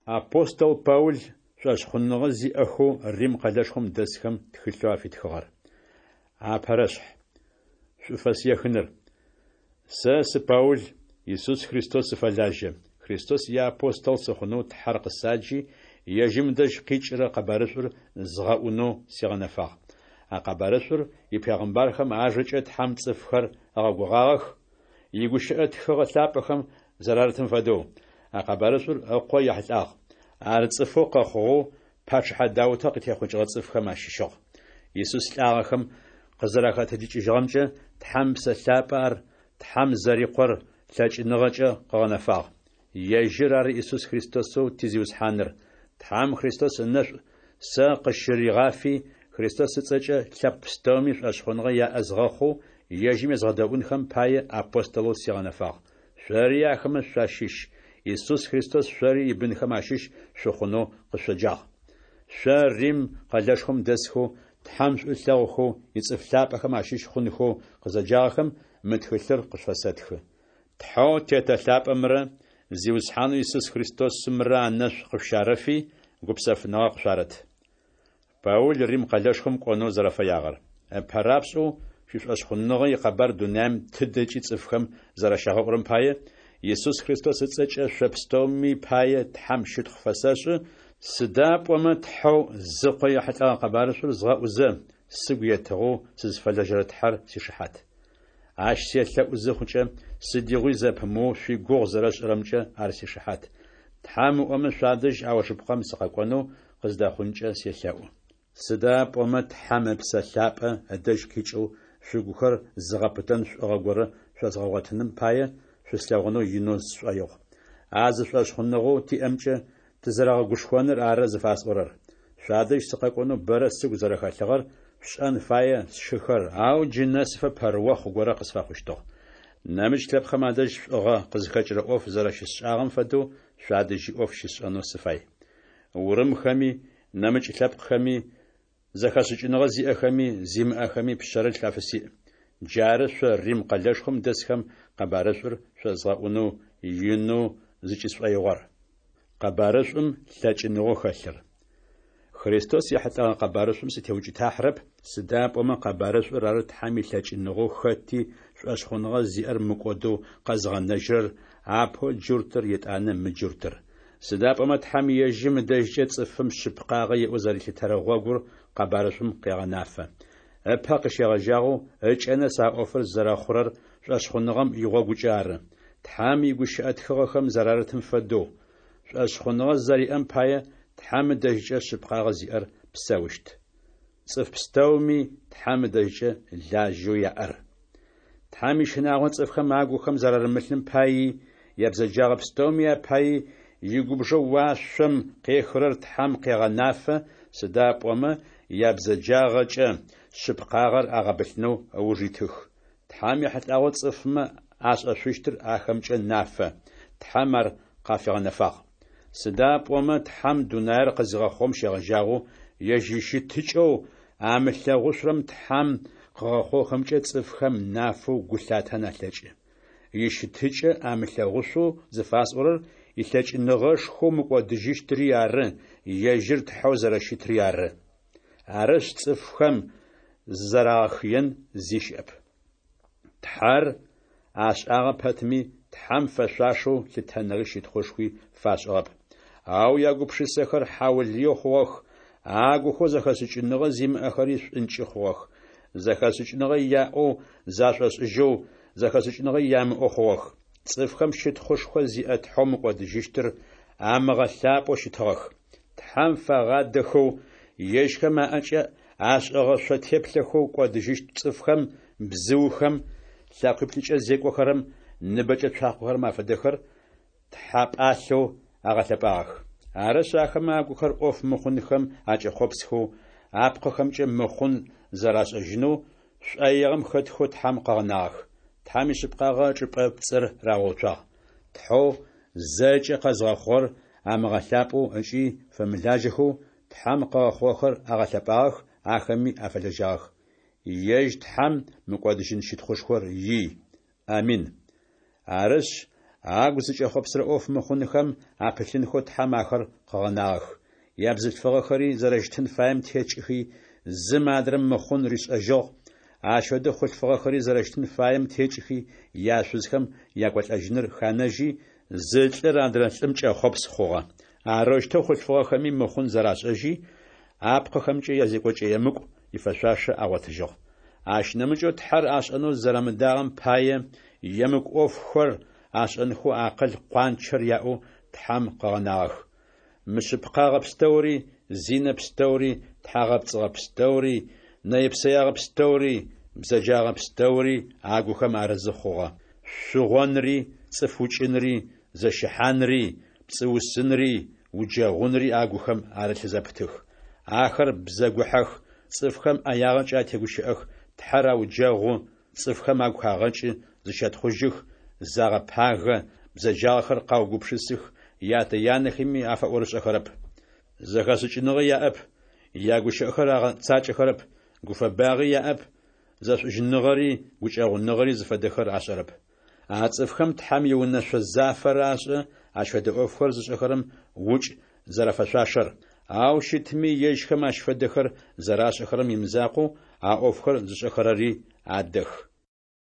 Апостол Паул шӏошъхъуныгъэ зиӏэхэу Рим къэлэшхом дэсхэм тхылъэу афитхыгъэр. Апэрэшъхь. Шӏуфэс ехыныр. Сэ сы Паул, Исус Христос сыфэлажьэ. Христос иапостол сыхъунэу Тхьэр къысаджи, ежьым ыдэжь къикӏырэ къэбарышӏур згъэӏунэу сигъэнэфагъ. А къэбарышӏур ипегъымбархэм ажэкӏэ Тхьэм цӏыфхэр ыгъэгугъагъэх, игущыӏэ тхыгъэ лъапӏэхэм зэрарытым фэдэу. А къэбарышӏур Ыкъо ехьылӏагъ. Ар цӏыфэу къэхъугъэу пачъыхьэ Даутэ къытехъукӏыгъэ цӏыфхэм ащыщыгъ. Исус лӏагъэхэм къызэрахэтэджыкӏыжьыгъэмкӏэ Тхьэм Ыпсэ Лъапӏэ ар Тхьэм зэри Къор лъэкӏыныгъэкӏэ къыгъэнэфагъ. Ежьыр ары Исус Христосэу ти Зиусхьаныр. Тхьэм Христос ынэшӏу сэ къысщыригъафи, Христос ыцӏэкӏэ лъэпкъ пстэуми шӏошъхъуныгъэ яӏэ згъэхъоу, ежьым езгъэдэӏунхэм пае апостолэу сигъэнэфагъ. Шъори ахэмэ шъуащыщ, Исус Христос шъори ибынхэм ащыщ шъухъунэу къышъоджагъ. Шъо, Рим къэлэшхом дэсхэу, Тхьэм шӏу ылъэгъухэу ицӏыф лъапӏэхэм ащыщ хъунхэу къызэджагъэхэм мы тхылъыр къышъуфэсэтхы. Тхьэу Тетэ лъапӏэмрэ Зиусхьанэу Исус Христосымрэ анэшӏу къышъущарэфи, гупсэфыныгъэ къышъуарэт. Паул Рим къэлэшхом кӏонэу зэрэфэягъэр. Ыпэрапшӏэу шъуишӏошъхъуныгъэ икъэбар дунаим тыдэкӏи цӏыфхэм зэрэщагъэӏурэм пае, Исус Христос ыцӏэкӏэ шъо пстэуми пае Тхьэм щытхъу фэсэшӏы, сыда пӏомэ Тхьэу зы Къо ехьылӏэгъэ къэбарышӏур згъэӏузэ, сыгу етыгъэу сызфэлэжьэрэ Тхьэр сишыхьат. Ащ селъэӏу зыхъукӏэ, сыдигъуи зэпымыоу шъуигугъу зэрэсшӏырэмкӏэ ар сишыхьат. Тхьэм ыӏомэ, шъуадэжь аужыпкъэм сыкъэкӏонэу къыздэхъункӏэ селъэӏу. Сыда пӏомэ Тхьэм Ыпсэ Лъапӏэ ыдэжь къикӏэу шъугухэр зыгъэпытэн шӏугъэ горэ шъозгъэгъотыным пае, шъуслъэгъунэу инэу сшӏоигъу. А зы шӏошъхъуныгъэу тиӏэмкӏэ тызэрэгъэгушхоныр ары зыфасӏорэр. Шъуадэжь сыкъэкӏонэу бэрэ сыгу зэрэхэлъыгъэр шъушӏэн фае, сшыхэр, ау джы нэсыфэ пэрыохъу горэ къысфэхъущтыгъ. Нэмыкӏ лъэпкъхэм адэжь шӏугъэ къызхэкӏырэ ӏоф зэрэщысшӏагъэм фэдэу шъуадэжьи ӏоф щысшӏэнэу сыфай. Урымхэми, нэмыкӏ лъэпкъхэми, зэхэшӏыкӏыныгъэ зиӏэхэми, зимыӏэхэми пшъэрылъ афысиӏ. Джары шъо Рим къэлэшхом дэсхэм къэбарышӏур шъозгъэӏунэу инэу зыкӏысшӏоигъор. Къэбарышӏум лъэкӏыныгъэу хэлъыр. Христос ехьылӏэгъэ къэбарышӏум сытеукӏытахьырэп, сыда пӏомэ къэбарышӏур ары Тхьэм илъэкӏыныгъэу хэти шӏошъхъуныгъэ зиӏэр мыкӏодэу къэзыгъэнэжьырэр, апэу джуртыр, етӏанэ мыджуртыр. Сыда пӏомэ Тхьэм ежьым ыдэжькӏэ цӏыфым шъыпкъагъэ иӏэу зэрилъытэрэ гъогур къэбарышӏум къегъэнафэ. Ыпэ къыщегъэжьагъэу ыкӏэ нэс а ӏофыр зэрэхъурэр шӏошъхъуныгъэм игъогукӏэ ары, Тхьэм игущыӏэ тхыгъэхэм зэрарытым фэдэу, Шӏошъхъуныгъэ зэриӏэм пае Тхьэм ыдэжькӏэ шъыпкъагъэ зиӏэр псэущт. Цӏыф пстэуми Тхьэм ыдэжькӏэ лажьэу яӏэр. Тхьэм ищынагъо цӏыфхэм агухэм зэрарымылъым паий, ябзэджагъэ пстэуми апаий игубжэу уашъом къехырэр Тхьэм къегъэнафэ, сыда пӏомэ ябзэджагъэкӏэ шъыпкъагъэр агъэбылъынэу ыуж итых. Тхьэм ехьылӏагъэу цӏыфмэ ашӏэшъущтыр ахэмкӏэ нафэ, Тхьэм ар къафигъэнэфагъ. Сыда пӏомэ Тхьэм дунаир къызигъэхъугъэм щегъэжьагъэу ежь ищытыкӏэу амылъэгъушъурэм Тхьэм къыгъэхъугъэхэмкӏэ цӏыфхэм нафэу гу лъатэн алъэкӏы. Ищытыкӏэ амылъэгъушъоу зыфасӏорэр илъэкӏыныгъэшхоу мыкӏодыжьыщтри ары, ежьыр Тхьэу зэрэщытри ары. Арышъ, цӏыфхэм зызэрагъэхыен зи щыӏэп. Тхьэр ашӏагъэ пэтми, Тхьэм фэшъуашэу лъытэныгъи щытхъушхуи фашӏыгъэп. Ау ягупшысэхэр хьаулыеу хъугъэх, агухэу зэхэшӏыкӏыныгъэ зимыӏэхэри шӏункӏы хъугъэх. Зэхэшӏыкӏыныгъэ яӏэу зашӏошӏыжьэу, зэхэшӏыкӏыныгъэ ямыӏэу хъугъэх. Цӏыфхэм щытхъушхо зиӏэ Тхьэу мыкӏодыжьыщтыр амыгъэлъапӏэу щытыгъэх. Тхьэм фагъадэхэу, ежьхэм аӏэкӏэ ашӏыгъэ шъо теплъэхэу кӏодыжьыщт цӏыфхэм, бзыухэм, лъэкъуиплӏыкӏэ зекӏохэрэм, ныбэкӏэ цуахъохэрэм афэдэхэр тхьапӏалъэу агъэлъэпӏагъэх. Арышъ, ахэмэ агухэр ӏоф мыхъунхэм акӏэхъопсхэу, апкъыхэмкӏэ мыхъун зэрашӏэжьынэу, шӏоигъэм хэтхэу Тхьэм къыгъэнагъэх. Тхьэм ишъыпкъагъэ ычӏыпӏэ пцӏыр рагъэуцуагъ. Тхьэу зэкӏэ къэзгъэхъугъэр амыгъэлъапӏэу ыкӏи фэмылажьэхэу, Тхьэм къыгъэхъугъэхэр агъэлъэпӏагъэх, ахэми афэлэжьагъэх. Ежь Тхьэм мыкӏодыжьын щытхъушхор ий. Амин. Арышъ, Агу зыкӏэхъопсырэ ӏоф мыхъунхэм апылъынхэу Тхьэм ахэр къыгъэнагъэх. Ябзылъфыгъэхэри зэрэщытын фаем текӏыхи, зым адрэм мыхъун ришӏэжьыгъ, Ащ фэдэу хъулъфыгъэхэри зэрэщытын фаем текӏыхи, яшъузхэм якӏолӏэжьыныр ханэжьи, зы лӏыр адрэ лӏым кӏэхъопс хъугъэ. Арэущтэу хъулъфыгъэхэми мыхъун зэрашӏэжьи, апкъыхэмкӏэ язекӏокӏэ емыкӏу ифэшъуашэ агъотыжьыгъ. Ащ нэмыкӏэу Тхьэр ашӏэнэу зэрамыдагъэм пае, емыкӏу ӏофхэр ашӏэнхэу акъыл къуанчэр яӏэу Тхьэм къыгъэнагъэх. Мышъыпкъагъэ пстэури, зинэ пстэури, тхьагъэпцӏыгъэ пстэури, нэе-псэягъэ пстэури, бзэджагъэ пстэури агухэм арызы хъугъэ. Шъугъонри, цӏыф укӏынри, зэщыхьанри, пцӏыусынри, уджэгъунри агухэм арылъ зэпытых. Ахэр бзэгухьэх, цӏыфхэм ӏэягъэкӏэ атегущыӏэх, Тхьэр ауджэгъу, цӏыфхэм агу хагъэкӏы, зыщэтхъужьых, загъэпагэ, бзэджагъэхэр къаугупшысых, ятэ-янэхэми афэӏорышӏэхэрэп. Зэхэшӏыкӏыныгъэ яӏэп, ягущыӏэхэр агъэцакӏэхэрэп, гуфэбагъи яӏэп, зэшӏужьыныгъэри гукӏэгъуныгъэри зыфэдэхэр ашӏэрэп. А цӏыфхэм Тхьэм иунэшъо зафэр ашӏэ, ащ фэдэ ӏофхэр зышӏэхэрэм укӏ зэрафэшъуашэр. Ау щытми, ежьхэм ащ фэдэхэр зэрашӏэхэрэм имызакъоу, а ӏофхэр зышӏэхэрэри адэх.